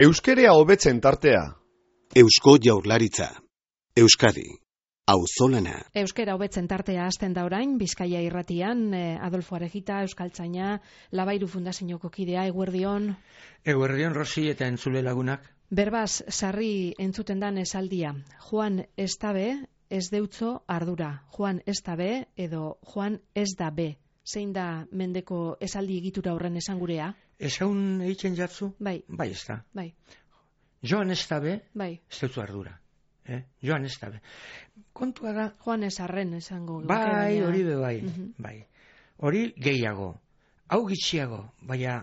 Euskerea hobetzen tartea. Eusko Jaurlaritza. Euskadi. Auzolana. Euskera hobetzen tartea hasten da orain, Bizkaia irratian, Adolfo Arejita, Euskaltzaina, Labairu Fundazioko kidea, eguerdion. Eguerdion, Rosi eta entzule lagunak. Berbaz, sarri entzuten dan esaldia. Joan ez da be, ez deutzo ardura. Joan ez da be, edo Joan ez da be. Zein da mendeko esaldi egitura horren esangurea? Esaun egiten jatzu? Bai. Bai, ez da. Bai. Joan ez da be, bai. Ez deutzu ardura. Joan ez da be. Kontua da... Joan ez arren esango. Bai, hori be bai. Bai. Hori gehiago. Hau gitxiago. Baina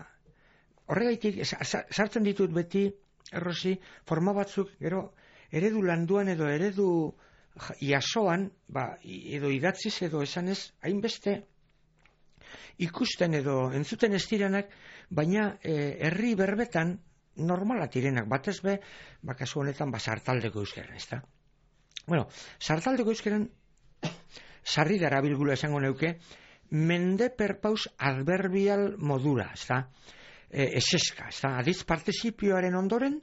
horregaitik sartzen ditut beti, Errosi, forma batzuk, gero, eredu landuan edo eredu jasoan, edo idatziz edo esanez, hainbeste ikusten edo entzuten ez diranak, baina herri berbetan normala direnak, batez be, kasu honetan, sartaldeko euskeran, ez da? Bueno, sartaldeko euskeran, sarri darabilgula esango neuke, mende perpaus adverbial modura, ez da? Eseska, ez da? Aditz partizipioaren ondoren,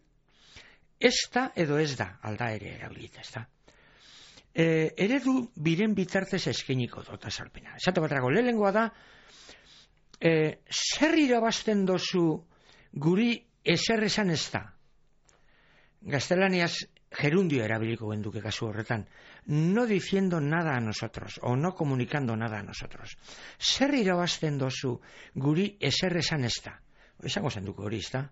ez da edo ez da, alda ere erabilita, ez da? Eredu biren bitartez eskeniko dota salpena. Esate baterako, lehengoa da, zer irabazten dozu guri ezer esan ez da. Gaztelaniaz gerundio erabiliko genduke kasu horretan. No diciendo nada a nosotros, o no comunicando nada a nosotros. Zer irabazten dozu guri ezer esan ez da. Esango zenduko hori, ez da?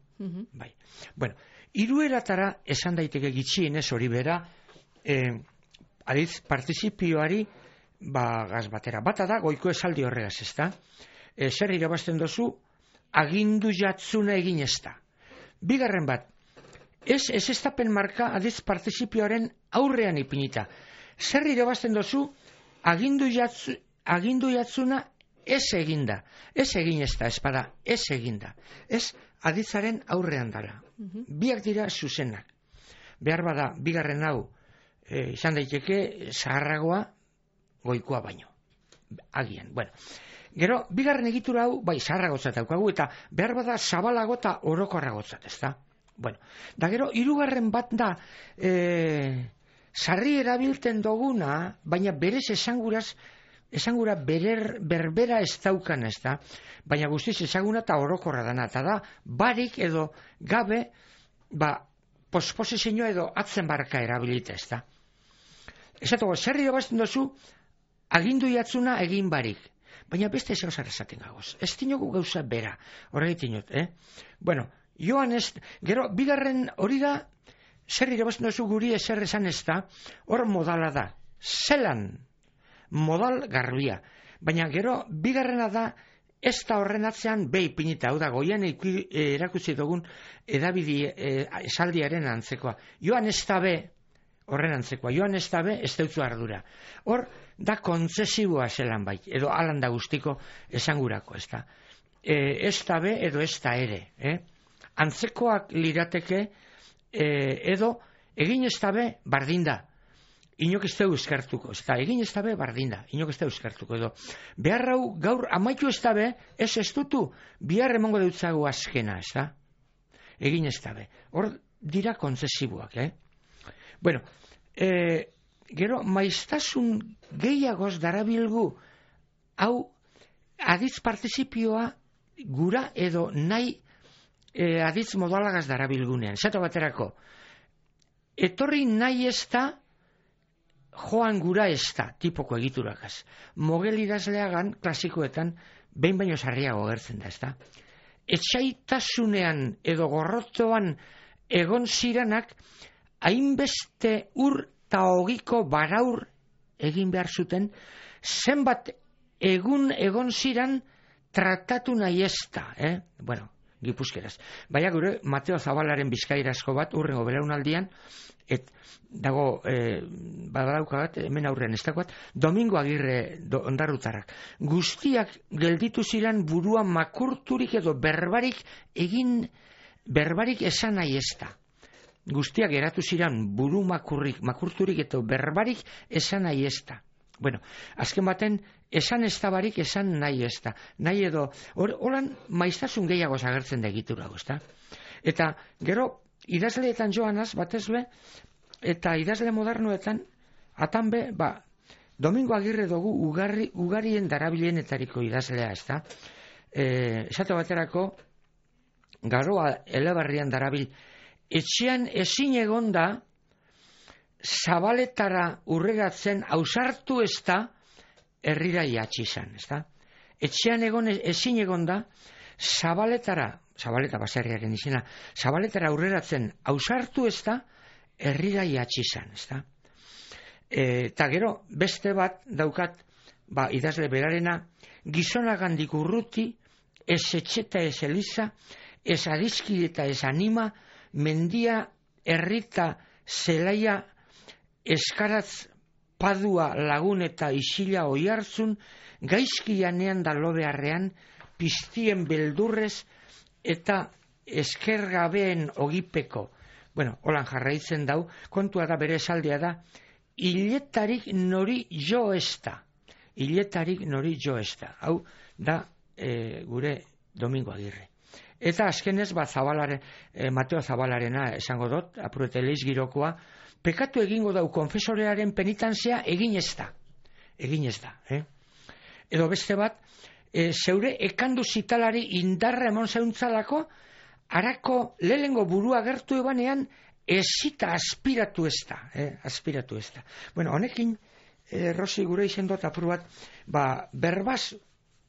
Bai. Bueno, hirueratara esan daiteke gitxienez hori bera, aditz partizipioari gaz batera. Bata da, goiko esaldi horregaz, ez da? Zer irabazten dozu, agindu jatzuna egin ez da. Bigarren bat, ez estapen marka aditz partizipioaren aurrean ipinita. Zer irabazten dozu, agindu jatzuna ez eginda. Ez egin ez da, espada, ez eginda. Ez aditzaren aurrean dara. Biak dira zuzenak. Behar bada, bigarren hau, izan daiteke, zaharragoa, goikoa baino. Agian, bueno. Gero, bigarren egitura hau, zaharragotzat daukagu, eta behar bada zabalago eta orokorragotzat, ez da? Bueno, da gero, hirugarren bat da, sarri erabilten duguna, baina berez esangura berbera ez daukan, ez da? Baina guztiz esaguna eta orokorra dana, eta da, barik edo gabe, posposizioa edo atzen barka erabilita, ez da? Esatuko, sarri irabazten dozu, agindu jatzuna egin barik. Baina beste ez gauzara esaten gagoz. Ez dinogu gauza bera. Horregitin dut, Bueno, joan ez... Gero, bigarren hori da, zer irabazten duzu guri ezer esan ez da, hor modala da. Zelan, modal garbia. Baina gero, bigarrena da, ez da horren atzean behi pinita. Hau da, goian erakutsi dugun edabidi esaldiaren antzekoa. Joan ez da be, horren antzekoa. Joan ez da be, ez deutzu ardura. Hor, da kontzesiboa zelan bai, edo alan da guztiko esangurako, ez da. Ez da be, edo ez da ere. Antzekoak lirateke, edo egin ez da be, bardinda. Inok ez da euskartuko, ez da. Egin ez da be, bardinda. Inok ez da euskartuko, edo. Behar hau, gaur, amaitu ez da be, ez dutu, bihar emongo deutzago azkena, ez da. Egin ez da be. Hor dira kontzesiboak, Bueno, gero, maiztasun gehiagoz darabilgu, hau aditz partizipioa gura edo nahi aditz modalagaz darabilgunean. Zato baterako, etorri nahi ez da, joan gura ez da, tipoko egiturakaz. Mogel idazleagan, klasikoetan, behin baino sarriago gertzen da, ez da. Etxaitasunean edo gorrotoan egon ziranak, hainbeste urta hogiko baraur egin behar zuten, zenbat egon ziran tratatu nahi ez da, Bueno, gipuzkeraz. Baina gure, Mateo Zabalaren bizkairazko bat, urrengo belaunaldian, dago, badaukagat, hemen aurrean ez dagoat, Domingo Agirre ondarrutarrak. Guztiak gelditu ziran burua makurturik edo berbarik esan nahi ez da. Guztiak eratu ziren buru makurturik eta berbarik esan nahi ez da. Bueno, azken baten, esan ez da barik, esan nahi ez da. Nahi edo, holan maiztasun gehiago agertzen da egitura, ez da? Eta, gero, idazleetan joanaz, batez be, eta idazle modernoetan, atan be, Domingo Agirre dugu ugarien darabilenetariko idazlea, ez da? Esate baterako, Garoa Elebarrian darabil, etxean ezin egonda, Zabaletara urregatzen ausartu ez da, herrira iatsi izan, ez da? Etxean ezin egonda, Zabaleta baserriaren izena, Zabaletara urreratzen ausartu ez da, herrira iatsi izan, ez da? Eta gero, beste bat daukat, idazle berarena, gizonagandik urruti, ez etxeta ez eliza, ez adizki eta ez anima, mendia, herrita, zelaia, eskaratz, padua, lagun eta isila oihartzun, gaizkianean da lobearrean, piztien beldurrez eta eskergabeen ogipeko. Bueno, holan jarraitzen dau, kontua da bere esaldia da, hiletarik nori jo ez da. Hiletarik nori jo ez da. Hau da gure Domingo Agirre. Eta azkenez, Mateo Zabalarena esango dut, apurete leiz girokoa, pekatu egingo dau konfesorearen penitantzia egin ez da. Egin ez da. Edo beste bat, zeure ekandu zitalari indarra emon zeuntzalako, harako lehengo burua gertu ebanean, ezita aspiratu ez da. Aspiratu ez da. Bueno, honekin, Rosi gure izen dut apur bat, berbaz,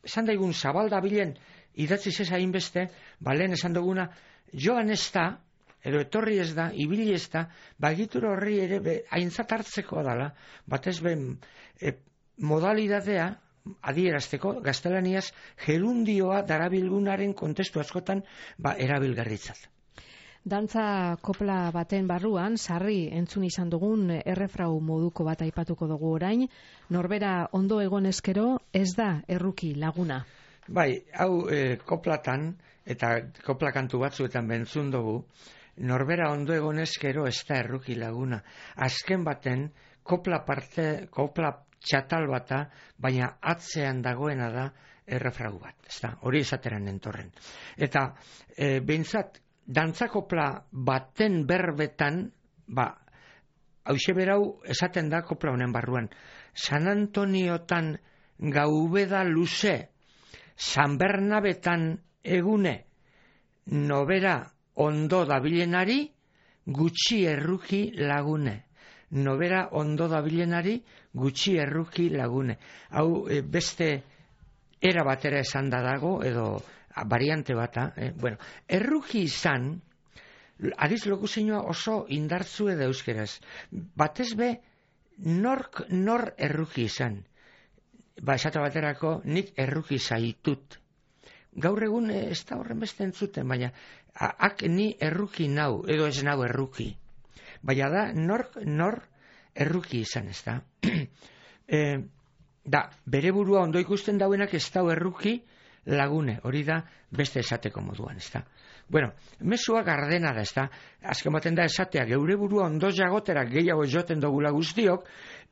esan daigun Zabalda bilen, idatzi zezain beste, lehen esan duguna, joan ez da, edo etorri ez da, ibili ez da, egitura horri ere aintzat hartzeko dala, batez modalidadea, adierazteko, gaztelaniaz, gerundioa darabilgunaren kontestu askotan, erabilgarritzat. Dantza kopla baten barruan, sarri entzun izan dugun errefrau moduko bat aipatuko dugu orain, norbera ondo egon ezkero ez da erruki laguna. Bai, hau koplatan, eta kopla kantu batzuetan bentzun dugu, norbera ondo egon ezkero ez da erruki laguna. Azken baten, kopla txatal bata, baina atzean dagoena da errefrau bat. Hori esateran entorren. Eta behintzat, dantzakopla baten berbetan, hauxe berau esaten da kopla honen barruan. San Antoniotan gaubeda luze, San Bernabetan egune, nobera ondo dabilenari, gutxi erruki lagune. Nobera ondo dabilenari, gutxi erruki lagune. Hau beste era batera esan da dago, edo variante bata, bueno, erruki izan, adiz lokuzioa oso indartzu edo euskeraz. Batez be, nor erruki izan. Esate baterako, nik erruki zaitut. Gaur egun ez da horren beste entzuten, baina ni erruki nau, edo ez nau erruki. Baina da, nor erruki izan, ez da. Bere burua ondo ikusten dauenak ez dau erruki, lagune, hori da beste esateko moduan, ez da. Bueno, mesua gardena da, ez da. Azken baten da esatea, geure burua ondo jagotera gehiago joten dugula guztiok,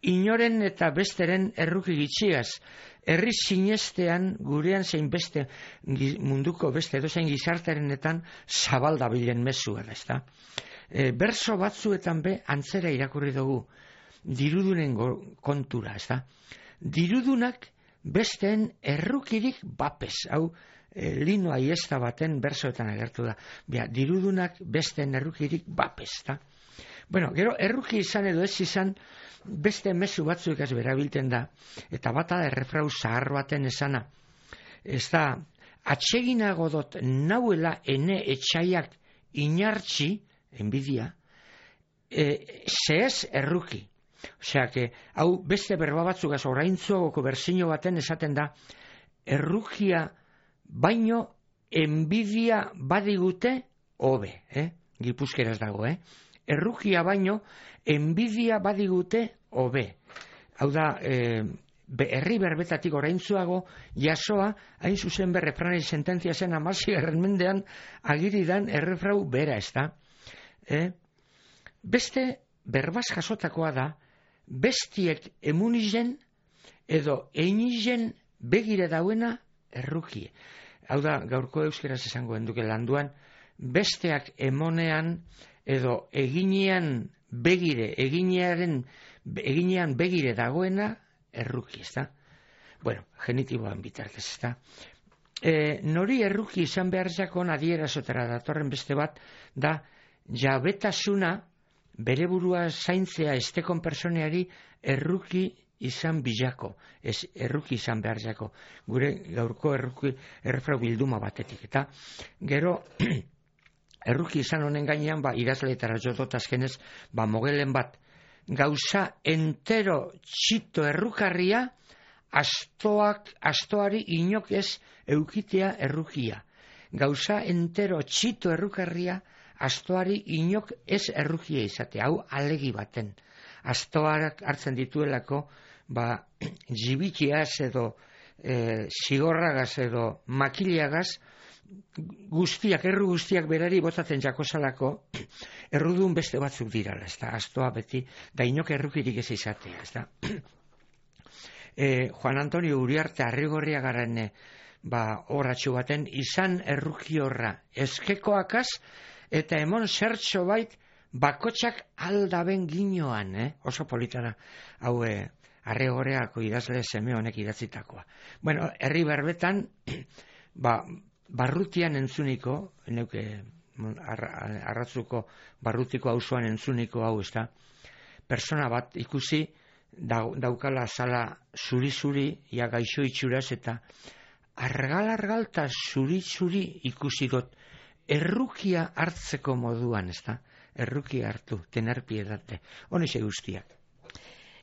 inoren eta besteren erruki gitxiaz, herri sinestean gurean zein beste munduko beste edozein gizarterenetan Zabalda bilen mesua da, ez da. Berso batzuetan antzera irakurri dugu, dirudunen kontura, ez da. Dirudunak besteen errukirik bapes, hau Lino Aiesta baten bersoetan agertu da. Dirudunak besteen errukirik bapes, da. Bueno, gero erruki izan edo ez izan beste mezu batzuek ez berabilten da, eta bata da errefrau zahar baten esana. Ez da, atseginago dot nauela ene etxaiak inartxi, enbidia, zehez erruki. Osea, hau beste berba batzugaz oraintzuagoko berzino baten esaten da, errukia baino enbidia badigute hobe, gipuzkeraz dago, errukia baino enbidia badigute hobe. Hau da, herri berbetatik oraintzuago jasoa, hain zuzen refranei sententzia zen 16. mendean agiridan errefrau bera, ez da. Beste berbaz jasotakoa da, bestiek emunizen edo einizen begire dauena erruki. Hau da, gaurko euskeraz esango enduke landuan, besteak emonean edo eginean beginean begire dagoena erruki, ezta? Bueno, genitiboan bitartez, ezta? Nori erruki izan behar jakon adierazotara datorren beste bat, da jabetasuna bere burua zaintzea estekon personeari erruki izan bilako, ez erruki izan behar jako, gure gaurko errefrau bilduma batetik, eta gero erruki izan honen gainean, idazleetara jodot azkenez, mogelen bat, gauza entero txito errukarria, astoari inok ez eukitea errukia. Gauza entero txito errukarria, astoari inok ez errukia izatea, hau alegi baten. Astoarak hartzen dituelako, jibitiaz edo zigorragaz edo makiliagaz, erru guztiak berari botatzen jakozalako, errudun beste batzuk dirala, ez da, astoa beti, da inok errukirik ez izatea, ez da. Juan Antonio Uriarte Arrigorriagaren horatxo baten, izan erruki horra eskekoakaz, eta emon zertxo bait, bakotxak aldaben ginoan, oso politara, hau Arrigorriako idazle seme honek idatzitakoa. Bueno, herri berbetan, barrutian entzuniko, arratzuko barrutiko auzoan entzuniko hau, ez da, persona bat ikusi, daukala zala zuri-zuri, ia gaixo itxuraz, eta argal eta zuri-zuri ikusi dut, errukia hartzeko moduan, ez da, errukia hartu, tener piedate, honixe guztiak.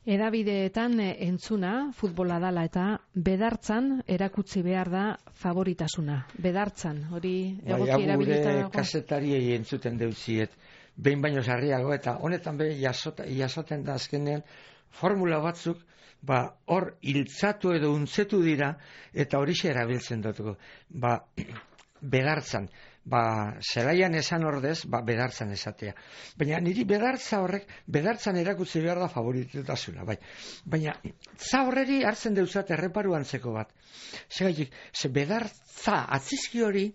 Edabideetan entzuna, futbola dala eta bedartzan erakutsi behar da favoritasuna. Bedartzan, hori egoki erabilita dago? Kazetariei entzuten deutziet, behin baino sarriago, eta honetan jasoten da azkenean, formula batzuk, hor hiltzatu edo untzetu dira, eta horixe erabiltzen dutuko. Bedartzan, zelaian esan ordez, bedartzan esatea. Baina niri bedartza horrek, bedartzan erakutsi behar da favoritutasuna, bai. Baina, za horreri hartzen deuzat erreparu antzeko bat. Ze bedartza atzizki hori,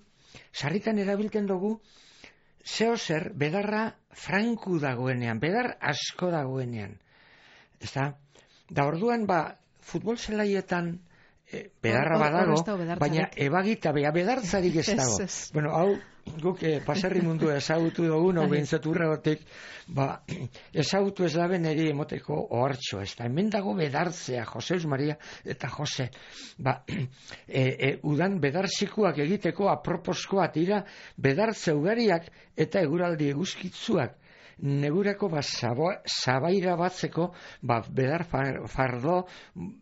sarritan erabilten dugu, zeo zer, bedarra franku dagoenean, bedar asko dagoenean. Da orduan, futbol zelaietan, bedarra badago, baina ebagita, bedartzarik ez dago. Bueno, hau, guk paserri mundu ezagutu dugu, behintzat urregotik, ezagutu ez daben eri emoteko ohartxo, ez da, hemen dago bedartzea, Joseus Maria eta Jose, udan bedarzikuak egiteko aproposkoa tira, bedartze ugariak eta eguraldi eguzkitzuak, negurako zabaira batzeko bedar fardo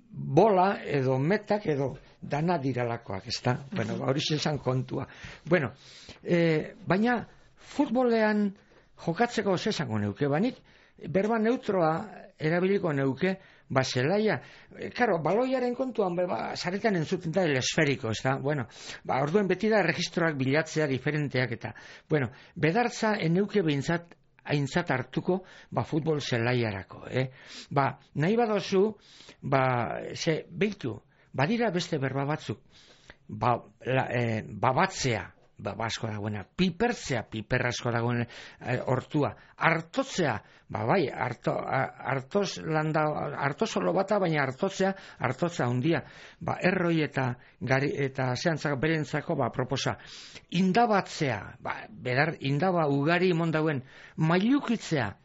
bola edo metak edo dana diralakoak, ez da? Bueno, hori zen kontua. Bueno, baina futbolean jokatzeko zezango neuke, banik berba neutroa erabiliko neuke, zelaia, karo, baloiaren kontuan, zaretan entzuten da el esferiko, ez da? Bueno, orduen beti da registroak bilatzea diferenteak eta, bueno, bedartza eneuke behintzat aintzat hartuko, futbol zelaiarako, nahi badozu, behitu, badira beste berba batzuk, babatzea, asko dagoena, pipertzea, piper asko dagoen hortua, hartotzea, hartozolo bata, baina hartotza handia, erroi eta zehantzako berentzako, proposa, indabatzea, indaba ugari imon dauen, mailukitzea,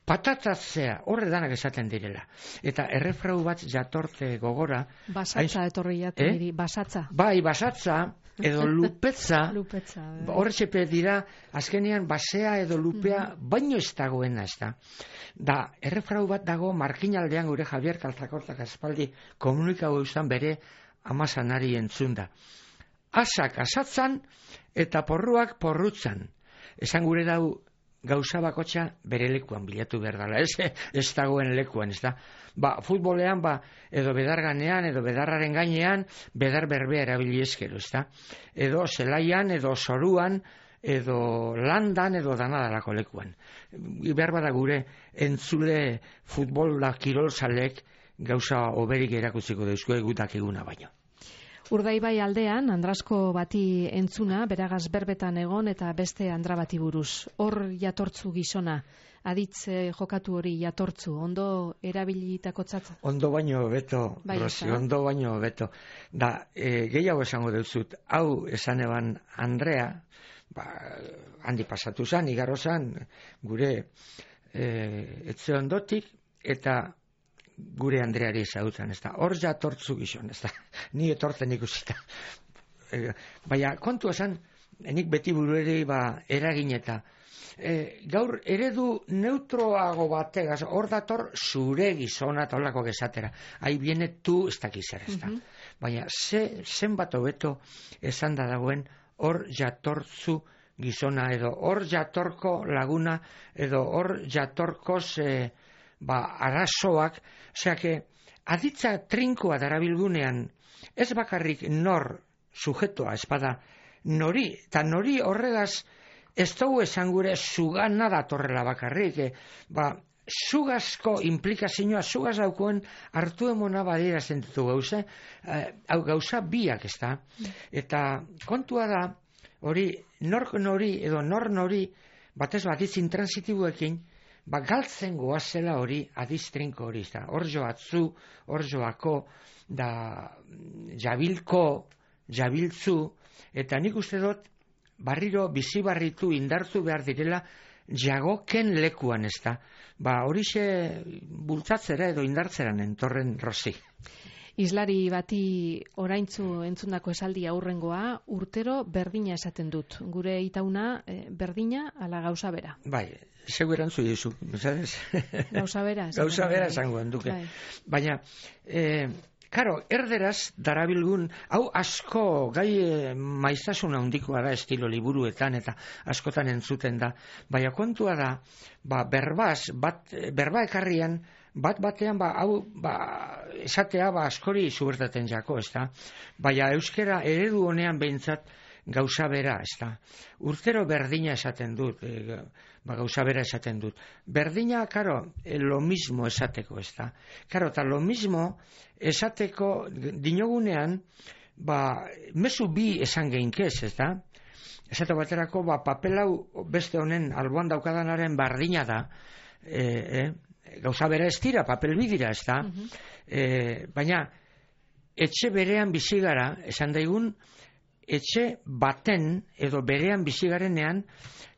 patatatzea, horre danak esaten direla. Eta errefrau bat jatorte gogora. Basatza etorri jatu diri, basatza. Bai, basatza, edo lupetza, horretxepe dira, azkenean basea edo lupea, baino ez dagoena ez da. Da, errefrau bat dago, markinaldean gure Javier Kaltzakortak aspaldi komunikau eustan bere amazanari entzunda. Asak asatzan eta porruak porrutzan. Esan gure dau, gauza bakotxa bere lekuan bilatu behar dela, ez dagoen lekuan, ez da. Futbolean, edo bedarganean, edo bedarraren gainean, bedar berbea erabili eskero, ez da. Edo zelaian, edo zoruan, edo landan, edo danadalako lekuan. Behar bada gure entzule futbola kirol zalek gauza oberik erakutziko deuzko egutak eguna baino. Urdaibai aldean, Andrasko bati entzuna, beragaz berbetan egon eta beste Andra bati buruz. Hor jatortzu gizona, aditz jokatu hori jatortzu, ondo erabilitakotzat? Ondo baino beto, Bai, Rosi, ezta? ondo baino beto. Da, gehiago esango duzut, hau esan eban Andrea, handi pasatu zan, igarro zan, gure etxe ondotik, eta gure Andreari ezagutzen, ez da, hor jatortzu gizon, ez da, ni etortzen ikusita. Baina, kontua zan, nik beti burueri eragin eta, gaur eredu neutroago bategaz, hor dator zure gizona eta holako gesatera. Hai viene tu, ez dakiz zer, ez da. Baina, zenbat hobeto esan da dagoen, hor jatortzu gizona, edo hor jatorko laguna, edo hor jatorkoz arazoak, osea, aditza trinkoa darabilgunean, ez bakarrik nor sujetoa espada nori, eta nori horregaz ez dugu esan gure zugana datorrela bakarrik, zugazko implikazioa, zugaz daukoen hartu emona badira zentutu gauza, hau gauza biak ez da, eta kontua da, hori, nork nori edo nor nori, batez aditz intransitiboekin, galtzen goazela hori adiztrinko hori, hor joatzu, hor joako, da jabilko, jabiltzu, eta nik uste dut, barriro bizibarritu indartu behar direla, jagoken lekuan ez da. Horixe bultzatzera edo indartzeran entorren, Rosi. Islari bati oraintzu entzundako esaldi aurrengoa, urtero berdina esaten dut. Gure itauna berdina ala gauza bera. Bai, zeu erantzu dizu, ¿sabes? Gauza bera. Gauza bera esango duke. Bai. Baina, karo, erderaz darabilgun, hau asko gai maiztasuna handikoa da estilo liburuetan eta askotan entzuten da. Baina kontua da, berba ekarrian, batean, esatea askori zubertaten jako, ez da? Baina euskera eredu honean behintzat gauza bera, ez da? Urtero berdina esaten dut, gauza bera esaten dut. Berdina, karo, lo mismo esateko, ez da? Karo, eta lo mismo esateko dinogunean, mezu bi esan geinkez, ez da? Esate baterako, papelau beste honen alboan daukadanaren berdina da, gauza bera ez dira, papel bidira, ez da? Baina, etxe berean bizigara, esan daigun, etxe baten edo berean bizigarenean,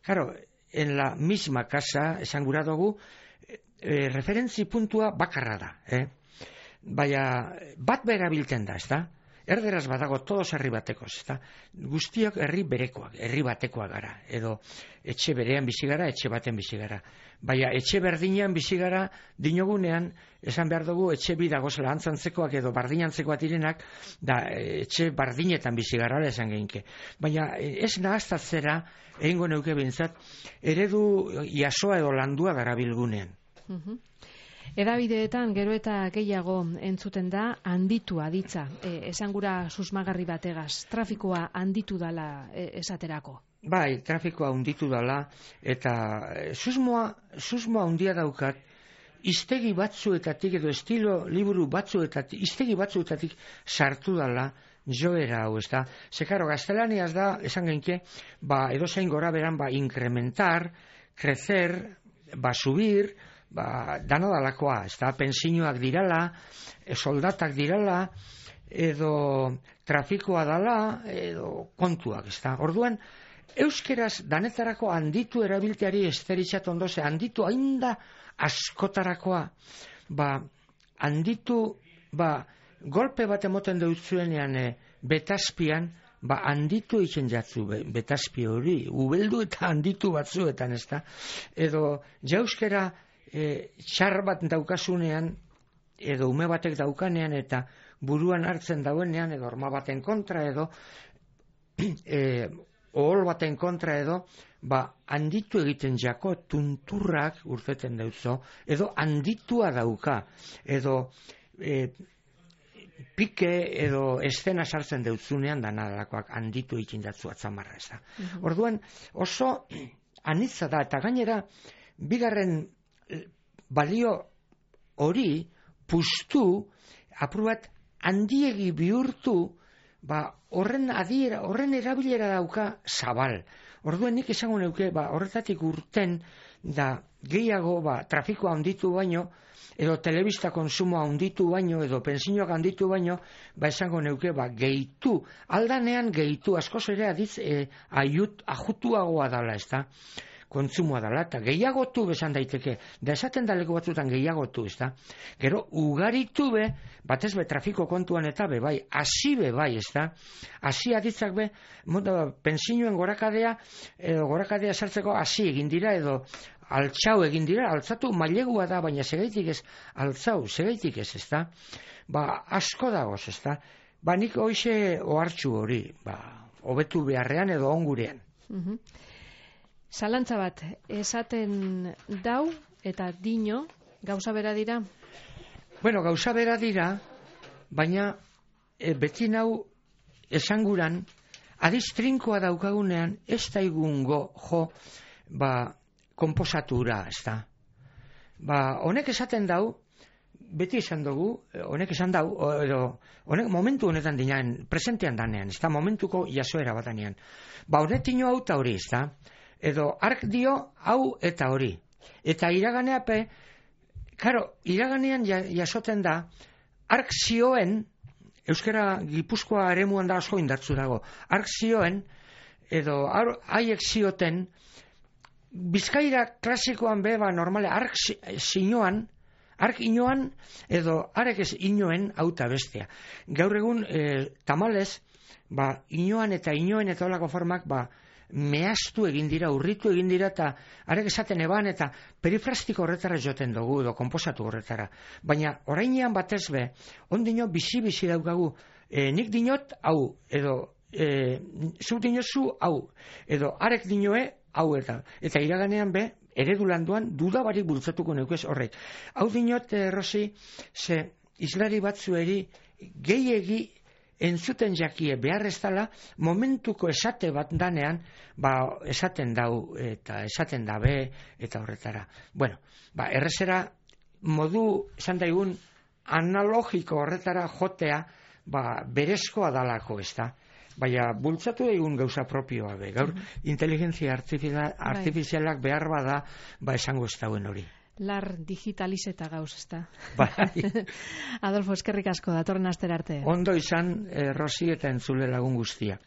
claro, en la misma casa, esan gura dugu, referentzi puntua bakarra da. Baina, bat berabilten da, ez da? Erderaz badago todos herri batekoz, ez da? Guztiok herri berekoak, herri batekoak gara, edo etxe berean bizigara, etxe baten bizigara. Baina etxe berdinean bizigara dinogunean, esan behar dugu etxe bidagozela antzantzekoak edo bardinantzekoak direnak, da etxe bardinetan bizigara esan geinke. Baina ez nahaztatzera, egingo neuke bintzat, eredu jasoa edo landua darabilgunean. Edabideetan gero eta gehiago entzuten da handitu aditza, esan gura susmagarri bategaz, trafikoa handitu dala esaterako. Bai, trafikoa handitu dala, eta susmoa handia daukat, iztegi batzuetatik edo estilo liburu batzuetatik, iztegi batzuetatik sartu dala joera hau, ez da. Zekaro, gaztelaniaz da, esan genke, edozein gora beran, incrementar, crecer, subir, dano dalakoa, ez da, pensioak dirala, soldatak dirala, edo trafikoa dala, edo kontuak, ez da. Orduan, euskeraz danetarako handitu erabilteari esteritzat ondoze, handitu ainda askotarakoa, handitu, golpe bat emoten deutzuenean betazpian, handitu iken jatzu betazpi hori, ubeldu eta handitu batzuetan, ez da. Edo, jauskera txar bat daukasunean, edo ume batek daukanean, eta buruan hartzen dauenean, edo orma baten kontra, edo ohol baten kontra, edo handitu egiten jako tunturrak urteten deutzo, edo handitua dauka, edo pike edo estena sartzen deutzunean danadakoak handitu egiten jatzu atzamarra, ez da. Orduan oso anitza da, eta gainera bigarren balio hori puztu, apur bat handiegi bihurtu, horren erabilera dauka zabal. Orduen nik esango neuke, horretatik urten da gehiago trafikoa handitu baino, edo telebista konsumoa handitu baino, edo pensioak handitu baino, esango neuke, gehitu, aldanean gehitu, askoz ere ajutuagoa dala, ez da, kontsumoa dala, eta gehiagotu besan daiteke, da esaten daleko batzutan gehiagotu, ez da, gero, ugaritu batez trafiko kontuan eta bai, hasi bai, ez da, hasi aditzak pensioen gorakadea sartzeko hasi egin dira, edo altxau egin dira, altzatu mailegua da, baina segaitik ez, altzau, segaitik ez, ez da, asko dagoz, ez da, nik hoxe ohartxu hori, hobetu beharrean edo ongurean. Zalantza bat, esaten dau eta dino, gauza bera dira? Bueno, gauza bera dira, baina beti nau esanguran, adiz trinkoa daukagunean, ez daigungo jo, konposatura, ez da. Honek esaten dau, beti esan dugu, honek esan dau, honek momentu honetan dinean, presentean danean, ez da, momentuko jasoera batanean. Honetino hau eta hori, ez da. Edo, ark dio, hau eta hori. Eta iraganeape, iraganean jasoten da, ark zioen, euskara Gipuzkoa eremuan da asko indartzu dago, ark zioen, edo haiek zioten, Bizkaira klasikoan normale, ark zinoan, ark inoan, edo arek ez inoen, auta bestea. Gaur egun, tamalez, inoan eta inoen eta olako formak, mehaztu egin dira, urritu egin dira, eta arek esaten eban, eta perifrastiko horretara joten dugu, edo konposatu horretara. Baina, orainean batez ondino bizi-bizi daukagu, nik dinot, hau, edo, zu dinozu, hau, edo arek dinoe, hau eta iraganean eredu landuan dudabarik bultzatuko neukez horrek. Hau dinot, Rosi, ze islari batzueri gehiegi entzuten jakie behar ez dala, momentuko esate bat danean, esaten dau eta esaten dabe eta horretara. Bueno, errezera modu, esan daigun, analogiko horretara jotea, berezkoa dalako, ez da. Baina bultzatu egun gauza propioa gaur inteligentzia artifizialak behar bada, esango ez dauen hori. Lar digitalizeta gauz, ez da. Adolfo, eskerrik asko, datorren astera arte. Ondo izan, Rosi eta entzule lagun guztiak.